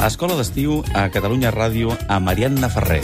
Escola d'estiu a Catalunya Ràdio amb Ariadna Ferrer.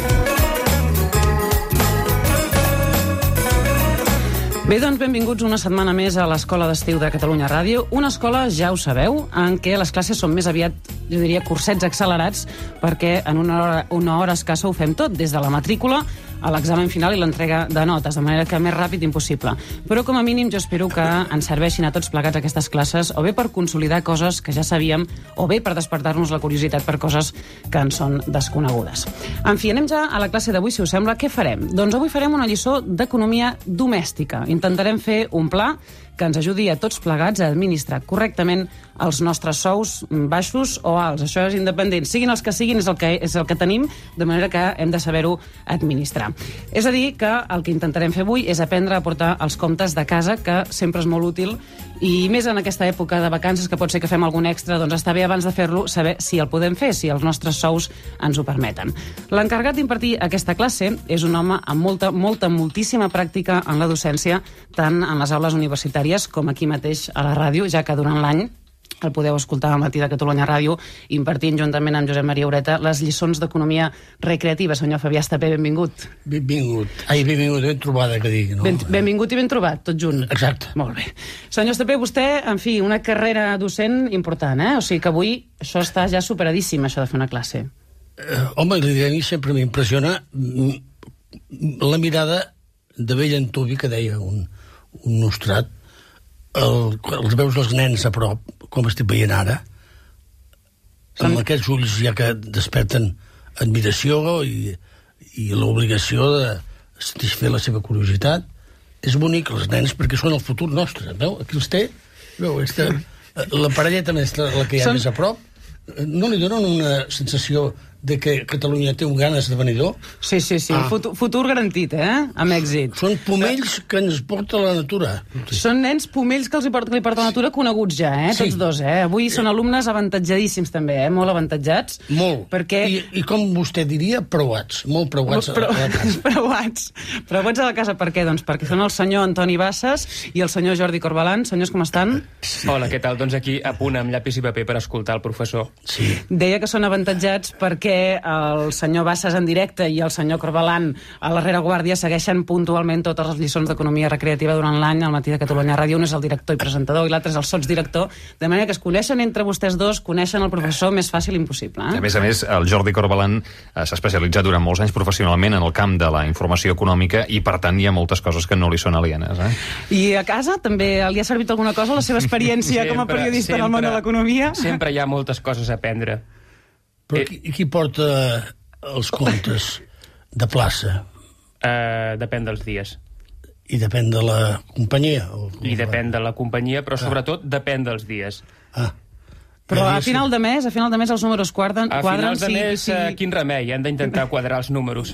Bé, doncs benvinguts una setmana més a l'Escola d'Estiu de Catalunya Ràdio. Una escola, ja ho sabeu, en què les classes són més aviat, jo diria, cursets accelerats, perquè en una hora escassa ho fem tot, des de la matrícula a l'examen final i l'entrega de notes, de manera que més ràpid impossible. Però com a mínim jo espero que ens serveixin a tots plegats aquestes classes, o bé per consolidar coses que ja sabíem, o bé per despertar-nos la curiositat per coses que ens són desconegudes. En fi, anem ja a la classe d'avui, si us sembla. Què farem? Doncs avui farem una lliçó d'economia domèstica. Intentarem fer un pla que ens ajudi a tots plegats a administrar correctament els nostres sous baixos o alts. Això és independent. Siguin els que siguin, és el que tenim, de manera que hem de saber-ho administrar. És a dir, que el que intentarem fer avui és aprendre a portar els comptes de casa, que sempre és molt útil, i més en aquesta època de vacances, que pot ser que fem algun extra, doncs està bé abans de fer-lo saber si el podem fer, si els nostres sous ens ho permeten. L'encarregat d'impartir aquesta classe és un home amb moltíssima pràctica en la docència, tant en les aules universitàries com aquí mateix a la ràdio, ja que durant l'any el podeu escoltar al matí de Catalunya Ràdio, impartint juntament amb Josep Maria Ureta les lliçons d'economia recreativa. Senyor Fabià Estapé, benvingut. Benvingut, ben trobada, que dic, no? Benvingut i ben trobat, tot junt. Exacte. Molt bé. Senyor Estapé, vostè, en fi, una carrera docent important, O sigui que avui això està ja superadíssim, això de fer una classe. Home, a mi sempre m'impressiona la mirada de vell antuvi, que deia un nostrat, els veus dels nens a prop, com estic veient ara, amb aquests ulls ja que desperten admiració i l'obligació de satisfer la seva curiositat. És bonic, els nens, perquè són el futur nostre, veu? Aquí els té, veu? La parelleta més, la que hi ha més a prop, no li donen una sensació de que Catalunya té un gran esdevenidor? Sí. Futur garantit, amb èxit. Són pomells que ens porta la natura. Són nens pomells que li porta la natura, coneguts ja, tots dos. Avui són alumnes avantatjadíssims també, molt avantatjats. Molt. Perquè... I com vostè diria, preuats. Molt preuats a la casa. Preuats a la casa, per què? Doncs perquè són el senyor Antoni Bassas i el senyor Jordi Corbalan. Senyors, com estan? Hola, què tal? Doncs aquí a punt amb llapis i paper per escoltar el professor. Sí. Deia que són avantatjats perquè el senyor Bassas en directe i el senyor Corbalan a la rereguàrdia segueixen puntualment totes les lliçons d'economia recreativa durant l'any al matí de Catalunya Ràdio. Un és el director i presentador i l'altre és el sotsdirector, de manera que es coneixen entre vostès dos, coneixen el professor més fàcil impossible. A més, el Jordi Corbalan s'ha especialitzat durant molts anys professionalment en el camp de la informació econòmica i, per tant, hi ha moltes coses que no li són alienes. I a casa també li ha servit alguna cosa la seva experiència com a periodista en el món de l'economia? Sempre hi ha moltes coses a aprendre. Però qui porta els comptes de plaça? Depèn dels dies. I depèn de la companyia? I depèn de la companyia, però sobretot depèn dels dies. Però a final de mes els números quadren? A finals de mes, quin remei? Hem d'intentar quadrar els números.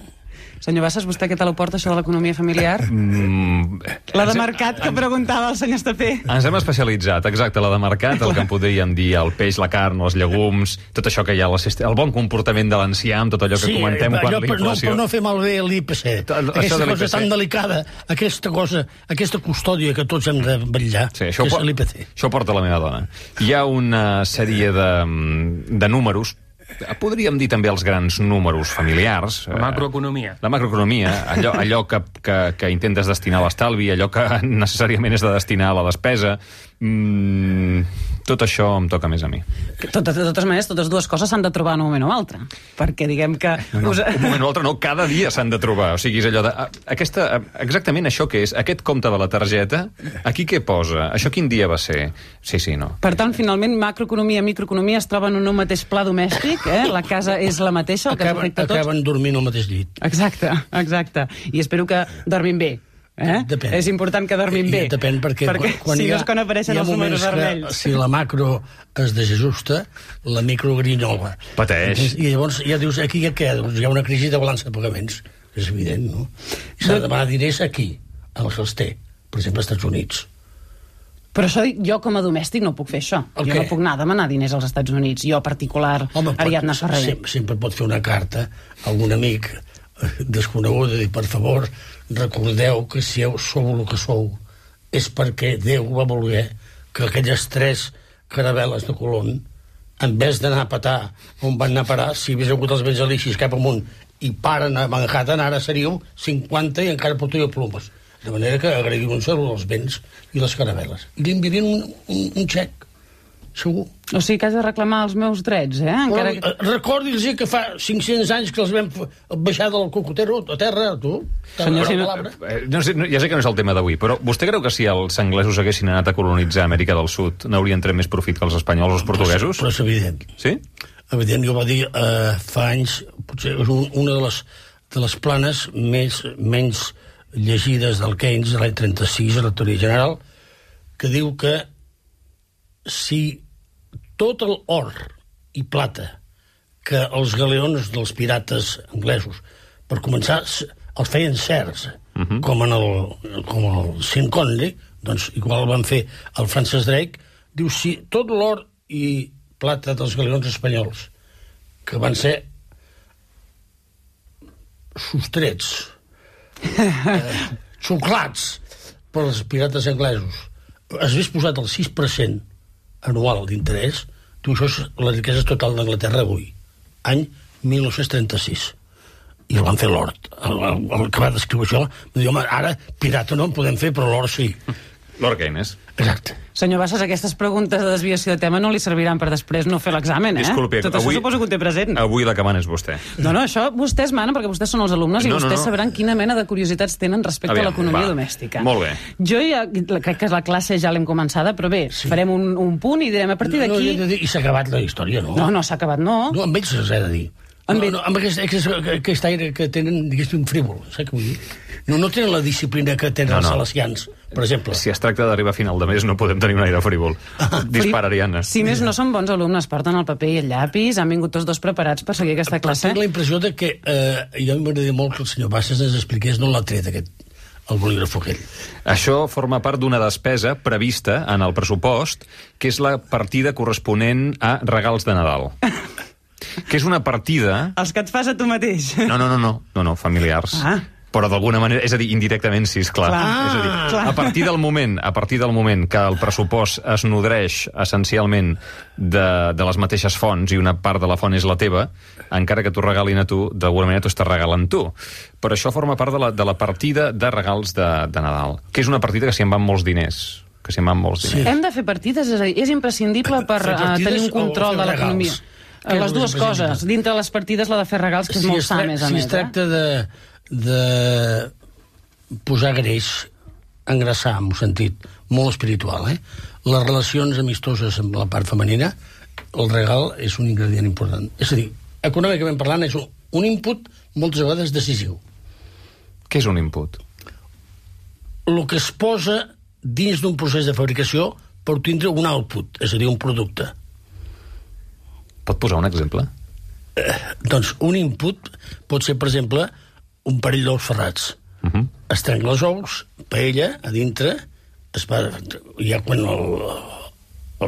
Senyor Bassas, vostè què tal ho porta, això de l'economia familiar? La de mercat que preguntava el senyor Estapé. Ens hem especialitzat, exacte, la de mercat, el que en podríem dir el peix, la carn, els llegums, tot això que hi ha, el bon comportament de l'ancià, amb tot allò que comentem quan l'inflació... Per no fer malbé l'IPC, aquesta cosa tan delicada, aquesta custòdia que tots hem de vetllar, que és l'IPC. Això porta la meva dona. Hi ha una sèrie de números, podríem dir també els grans números familiars. La macroeconomia. La macroeconomia, allò que intentes destinar a l'estalvi, allò que necessàriament és de destinar a la despesa. Tot això em toca més a mi. De totes maneres, totes dues coses s'han de trobar en un moment o altre. Perquè diguem que... No, un moment o altre no, cada dia s'han de trobar. O sigui, és allò de... Exactament això que és, aquest compte de la targeta, aquí què posa? Això quin dia va ser? Sí, no. Per tant, finalment, macroeconomia i microeconomia es troben en un mateix pla domèstic, la casa és la mateixa, el que ens afecta a tots. Acaben dormint al mateix llit. Exacte. I espero que dormin bé. Depèn. És important que dormin bé. Depèn, perquè si no és quan apareixen els números vermells. Si la macro es desajusta, la micro grinyola. Pateix. I llavors ja dius, aquí què? Hi ha una crisi de balança de pagaments. És evident, no? S'ha de demanar diners aquí, en els que els té. Per exemple, als Estats Units. Però això, jo com a domèstic no puc fer això. Jo no puc anar a demanar diners als Estats Units. Jo, particular, Ariadna Ferrer. Sempre pot fer una carta a algun amic desconegut i dir, per favor, recordeu que si sou el que sou és perquè Déu va voler que aquelles 3 caravel·les de Colón en vez d'anar a petar on van anar a parar, si hagués hagut els vents alixis cap amunt i paren a Manhattan, ara seríeu 50 i encara portaríeu plomes. De manera que agraïu un salut als vents i les caravel·les. I li enviarien un xec, segur. O sigui que has de reclamar els meus drets, eh? Encara que... Recordi'ls que fa 500 anys que els vam baixar del cocotero a terra, tu. Senyor, si no... No sé, ja sé que no és el tema d'avui, però vostè creu que si els anglesos haguessin anat a colonitzar Amèrica del Sud n'haurien tret més profit que els espanyols o els portuguesos? Però és evident. Sí? Evident, jo va dir fa anys, potser és una de les planes menys llegides del Keynes, de l'any 36, a la teoria general, que diu que si tot l'or i plata que els galeons dels pirates anglesos, per començar, els feien certs, com el Sean Connery, doncs igual van fer el Francis Drake, diu, si tot l'or i plata dels galeons espanyols, que van ser sostrets, xuclats pels pirates anglesos, es hagués posat el 6% anual d'interès, tu, això és la riquesa total d'Anglaterra avui, any 1936. I el van fer l'hort. El que va descriure això, va dir, home, ara pirata no en podem fer, però l'hort sí. Lord Keynes. Exacte. Senyor Bassas, aquestes preguntes de desviació de tema no li serviran per després no fer l'examen, eh? Disculpi, tot això suposo que ho té present. Avui la que mana és vostè. No, això vostès manen perquè vostès són els alumnes i vostès sabran quina mena de curiositats tenen respecte a l'economia domèstica. Molt bé. Jo ja crec que la classe ja l'hem començada, però bé, farem un punt i direm a partir d'aquí... I s'ha acabat la història, no? No, s'ha acabat, no. No, amb ells s'ha de dir. Amb aquest aire que tenen, diguéssim, frívol, saps què vull dir? No tenen la disciplina que tenen els salesians, per exemple. Si es tracta d'arribar a final de mes, no podem tenir un aire frívol. Disparariana. Si més no són bons alumnes, porten el paper i el llapis, han vingut tots dos preparats per seguir aquesta classe. Tinc la impressió de que, jo m'agradaria molt que el senyor Bassas ens expliqués no l'ha tret el bolígraf aquell. Això forma part d'una despesa prevista en el pressupost, que és la partida corresponent a regals de Nadal. Que és una partida... Els que et fas a tu mateix. No, familiars. Però d'alguna manera, és a dir, indirectament, sí, és clar. És a dir, a partir del moment que el pressupost es nodreix essencialment de les mateixes fonts i una part de la font és la teva, encara que t'ho regalin a tu, d'alguna manera t'ho estàs regalant tu. Però això forma part de la partida de regals de Nadal, que és una partida que s'hi en van molts diners. Sí. Hem de fer partides, és a dir, és imprescindible per tenir un control de l'economia. Les dues coses. Dintre les partides la de fer regals, que és molt sa, més a més. Si es tracta de posar greix, engraçar, en un sentit molt espiritual, les relacions amistoses amb la part femenina, el regal és un ingredient important. És a dir, econòmicament parlant, és un input moltes vegades decisiu. Què és un input? El que es posa dins d'un procés de fabricació per tindre un output, és a dir, un producte. Pot posar un exemple? Doncs un input pot ser, per exemple, un parell d'ous ferrats. Es trenquen els ous, paella, a dintre, ja quan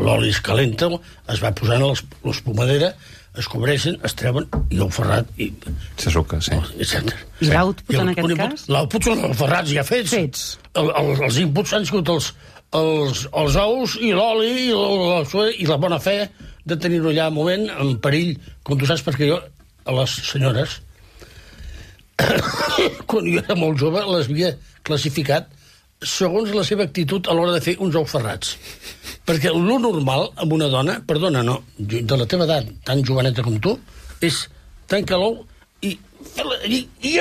l'oli es calenta, es va posant l'espumadera, es cobreixen, es treuen, i l'ou ferrat... Se suca, sí. I l'output, en aquest cas? L'output són els ferrats ja fets. Els inputs han sigut els ous i l'oli i la bona fe de tenir-ho allà un moment en perill, com tu saps, perquè jo a les senyores quan jo era molt jove les havia classificat segons la seva actitud a l'hora de fer uns ous ferrats, perquè lo normal amb una dona, perdona, no, de la teva edat, tan joveneta com tu, és tancar l'ou i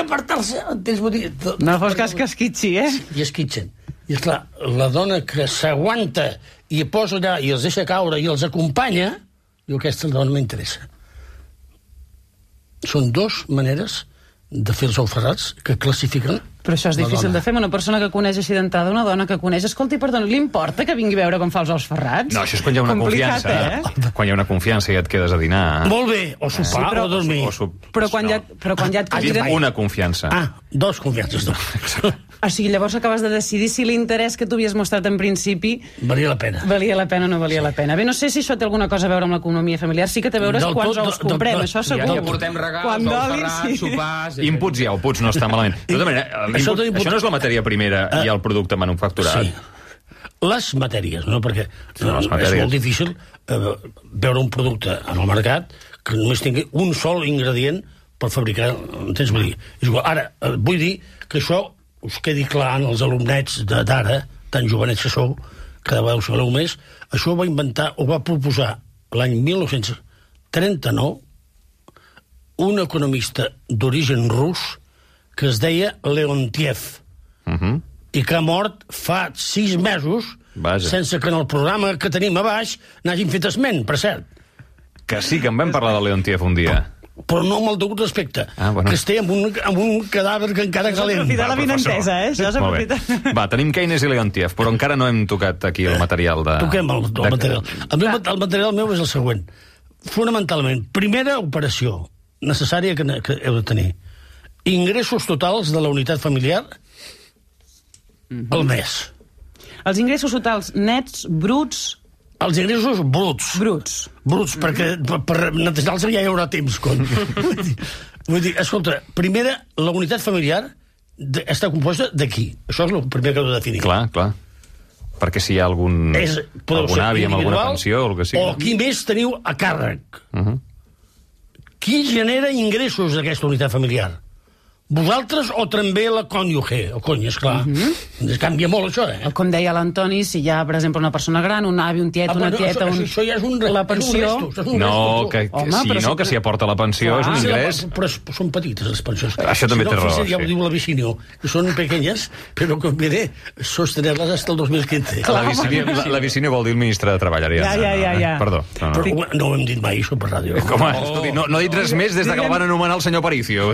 apartar-se, entens? No fos cas que esquitxi, i esquitxen. I esclar, la dona que s'aguanta i posa allà i els deixa caure i els acompanya, diu, aquesta dona m'interessa. Són dues maneres de fer els ous ferrats que classifiquen. Però això és difícil de fer amb una persona que coneix així d'entrada, una dona que coneix. Escolti, perdona, li importa que vingui a veure com fa els ous ferrats? No, això és quan hi ha una confiança. Quan hi ha una confiança i et quedes a dinar. Molt bé, o sopar o dormir. Però quan ja et conviden... Una confiança. Dos confiances. O sigui, llavors acabes de decidir si l'interès que tu havies mostrat en principi... Valia la pena. Valia la pena o no valia la pena. Bé, no sé si això té alguna cosa a veure amb l'economia familiar. Sí que té a veure quants ous comprem, això segur. Ja portem regals, ous ferrats, sopars... Inputs i outputs no està malament. De tota manera, això no és la matèria primera i el producte manufacturat. Sí. les matèries, no? Perquè és molt difícil veure un producte en el mercat que només tingui un sol ingredient per fabricar, entens? Vull dir, és igual. Ara, vull dir que això us quedi clar en els alumnets d'ara, tan jovenets que sou, cada vegada us sabeu més, això ho va inventar, ho va proposar l'any 1939 un economista d'origen rus que es deia Leontiev, i que ha mort fa 6 mesos sense que en el programa que tenim a baix n'hagin fet esment, per cert. Que sí, que en vam parlar de Leontiev un dia. Però no amb el degut respecte, que esté amb un cadàver que encara calent. Aprofitar la vinentesa, Això s'aprofita. Va, tenim Keynes i Leontiev, però encara no hem tocat aquí el material de... Toquem el material. El material meu és el següent. Fonamentalment, primera operació necessària que heu de tenir. Ingressos totals de la unitat familiar al mes. Els ingressos totals nets, bruts... Els ingressos bruts. Bruts, perquè per netejar-los ja hi haurà temps. Vull dir, escolta, primera, la unitat familiar està composta d'aquí. Això és el primer que heu de definir. Clar. Perquè si hi ha algun avi amb alguna pensió o el que sigui. O qui més teniu a càrrec. Qui genera ingressos d'aquesta unitat familiar? Vosaltres o també la cònyuge? El cony, esclar. Canvia molt, això, Com deia l'Antoni, si hi ha, per exemple, una persona gran, un avi, un tiet, una tieta... Això ja és la pensió... que si aporta la pensió és un ingrés. Però són petites, les pensions. Això també té raó. Ja ho diu la Vicinio, que són pequeñas, però conviene sostenerles hasta el 2015. La Vicinio vol dir el ministre de Treball, Ja. Perdó. No ho hem dit mai, això per ràdio. No ha dit res més des que el van anomenar el senyor Aparicio.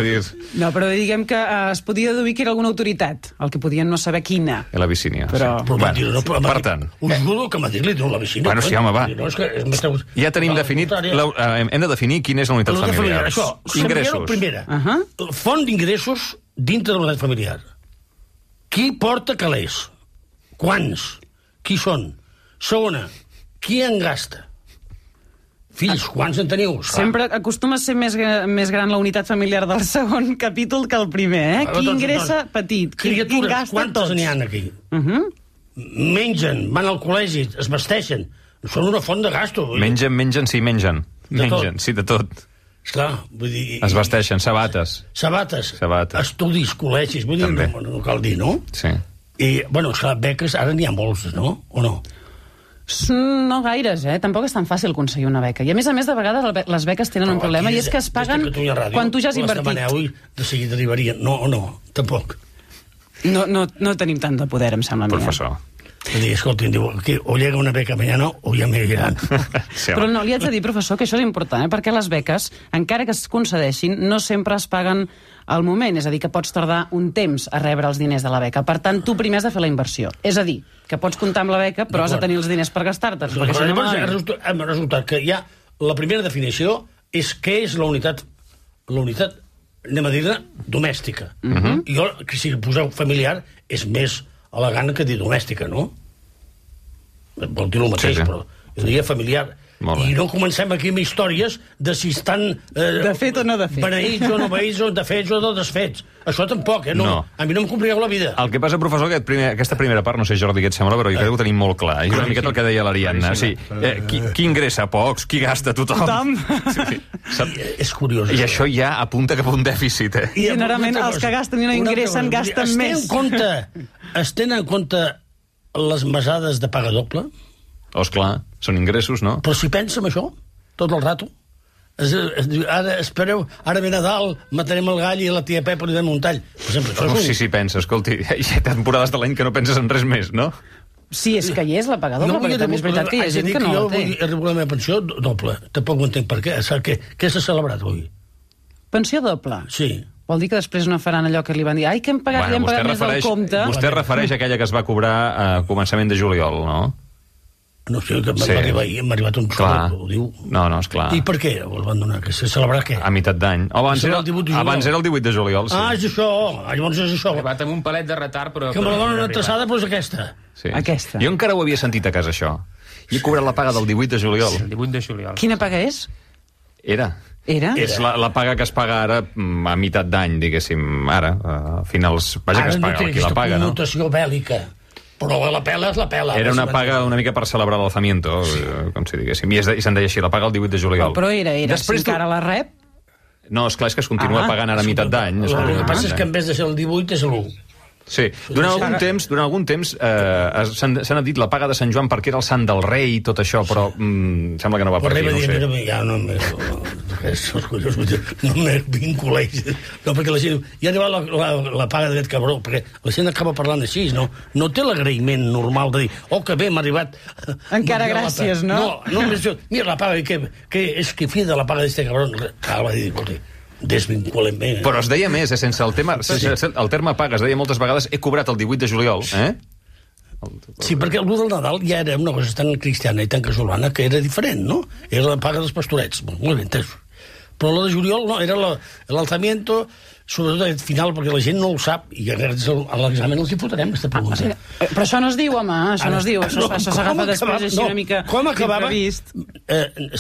No, però diguem que es podia deduir que era alguna autoritat, el que podien no saber quina. La Vicinio. Per tant... Us juro que Madrid li diu la Vicinio. Bueno, sí, home, va. Ja tenim definit... Hem de definir quina és la unitat familiar. Això, ingressos. Primera, font d'ingressos dintre de la unitat familiar. Qui porta calés? Quants? Qui són? Segona, qui en gasta? Fills, quants en teniu? Sempre acostuma a ser més gran la unitat familiar del segon capítol que el primer, Qui ingressa petit. Criatures, quantes n'hi ha aquí? Mengen, van al col·legi, es vesteixen. Són una font de gasto. Mengen, sí, mengen. Mengen, sí, de tot. Esclar, vull dir... Es vesteixen, sabates. Estudis, col·legis, vull dir, no cal dir, no? Sí. I, bueno, esclar, beques, ara n'hi ha molts, no? O no? No gaires, Tampoc és tan fàcil aconseguir una beca. I a més, de vegades les beques tenen un problema, i és que es paguen quan tu ja has invertit. Demaneu i de seguida arribarien. No, tampoc. No tenim tant de poder, em sembla. Professor. Escolta, diu, o llega una beca mañana o ja me llegaran. Però no, li haig de dir, professor, que això és important, perquè les beques, encara que es concedeixin, no sempre es paguen al moment, és a dir, que pots tardar un temps a rebre els diners de la beca. Per tant, tu primer has de fer la inversió. És a dir, que pots comptar amb la beca, però has de tenir els diners per gastar-te'ls. Hem resultat que ja la primera definició és què és la unitat, anem a dir-ne, domèstica. Jo, que si poseu familiar, és més elegant que dir domèstica, no? Vol dir el mateix, però jo diria familiar. I no comencem aquí amb històries de si estan... de fet o no de fet. Beneïts o no beneïts, o de fets o de desfets. Això tampoc, No. A mi no em compliqueu la vida. El que passa, professor, aquesta primera part, no sé, Jordi, què et sembla, però jo crec que ho tenim molt clar. És una miqueta el que deia l'Ariadna. Qui ingressa pocs, qui gasta tothom. És curiós. I això ja apunta cap a un dèficit, I generalment els que gasten i no ingressen gasten més. Es tenen en compte les mesades de paga doble? Esclar, són ingressos, no? Però si pensa en això, tot el rato, ara espereu, ara ve Nadal, matarem el gall i la tia Pepa li donem un tall. Per exemple, sí, pensa, escolti, hi ha temporades de l'any que no penses en res més, no? Sí, és que hi és la paga doble, perquè també és veritat que hi ha gent que no la té. Jo vull la meva pensió doble, tampoc ho entenc per què. Què s'ha celebrat avui? Pensió doble? Sí. Vol dir que després no faran allò que li van dir ai, que hem pagat més del compte. Vostè refereix a aquella que es va cobrar a començament de juliol, no? No sé, que m'ha arribat un xou, ho diu. No, esclar. I per què el van donar? Que se celebrar què? A meitat d'any. Abans era el 18 de juliol, sí. És això, llavors és això. Ha arribat amb un palet de retard, però... Que me la donen atrasada, però és aquesta. Sí. Aquesta. Jo encara ho havia sentit a casa, això. I he cobrat la paga del 18 de juliol. El 18 de juliol. Quina paga és? Era? És la paga que es paga ara a meitat d'any, diguéssim, ara, a finals... Vaja, que es paga qui la paga, no? Ara no té aquesta connotació bèl·lica. Però la pela és la pela. Era una paga una mica per celebrar l'alzamiento, com si diguéssim. I se'n deia així, la paga el 18 de juliol. Però era, si encara la rep... No, esclar, és que es continua pagant ara a meitat d'any. El que passa és que en vez de ser el 18 és l'1. Sí, durant algun temps s'ha anat dit la paga de Sant Joan perquè era el sant del rei i tot això, però sembla que no va per aquí, no ho sé. Ja no me vinculeix. No, perquè la gent... Ja ha arribat la paga d'aquest cabró, perquè la gent acaba parlant així, no té l'agraïment normal de dir, que bé, m'ha arribat... Encara gràcies, no? No, mira la paga, que és que fi de la paga d'aquest cabró. Va dir, escolta, desvinculem bé. Però es deia més, sense el terme paga, es deia moltes vegades he cobrat el 18 de juliol, Sí, perquè el del Nadal ja era una cosa tan cristiana i tan casolana que era diferent, no? Era la paga dels pastorets, molt ben entès. Però la de juliol no, era l'alzamiento, sobretot al final, perquè la gent no ho sap, i a l'examen els hi fotrem, aquesta pregunta. Però això no es diu, home, això no es diu, això s'agafa després així una mica imprevist.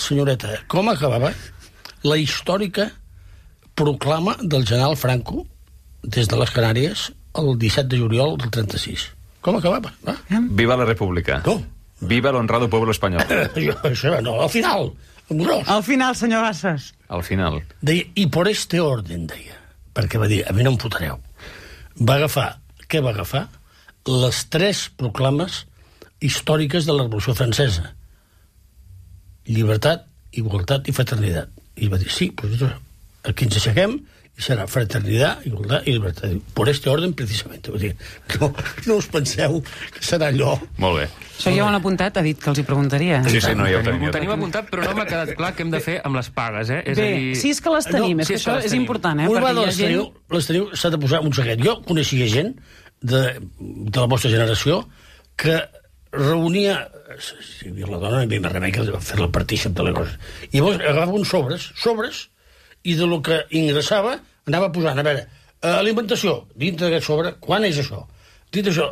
Senyoreta, com acabava la històrica proclama del general Franco des de les Canàries el 17 de juliol del 36. Com acabava? Viva la República. No. Viva l'honrado pueblo espanyol. Això no, al final. Al final, senyor Bassas. Al final. Deia, i por este orden, deia. Perquè va dir, a mi no em fotreu. Què va agafar? Les 3 proclames històriques de la Revolució Francesa. Llibertat, igualtat i fraternitat. I va dir, sí, doncs aquí ens aixequem i serà fraternitat, igualtat i llibertat. Por este orden, precisament. No us penseu que serà allò. Molt bé. Això ja ho han apuntat, ha dit que els hi preguntaria. Sí, no, ja ho tenim. Ho tenim apuntat, però no m'ha quedat clar què hem de fer amb les pagues, Bé, sí, és que les tenim, és que això és important, Les teniu, s'ha de posar un secret. Jo coneixia gent de la vostra generació que reunia... Si hi havia la dona, no hi havia més remei que fer la partícia de les coses. I llavors agafava uns sobres, i de lo que ingressava anava posant, a veure, alimentació, dintre d'aquest sobre, quan és això? Dintre això,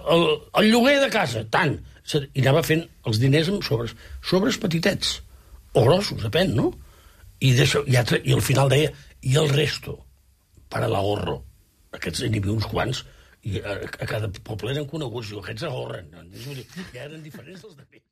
el lloguer de casa, tant. I anava fent els diners amb sobres petitets, o grossos, depèn, no? I al final deia, i el resto, para l'ahorro. Aquests n'hi havia uns quants, i a cada poble eren coneguts, i aquests ahorren. Ja eren diferents dels de mi.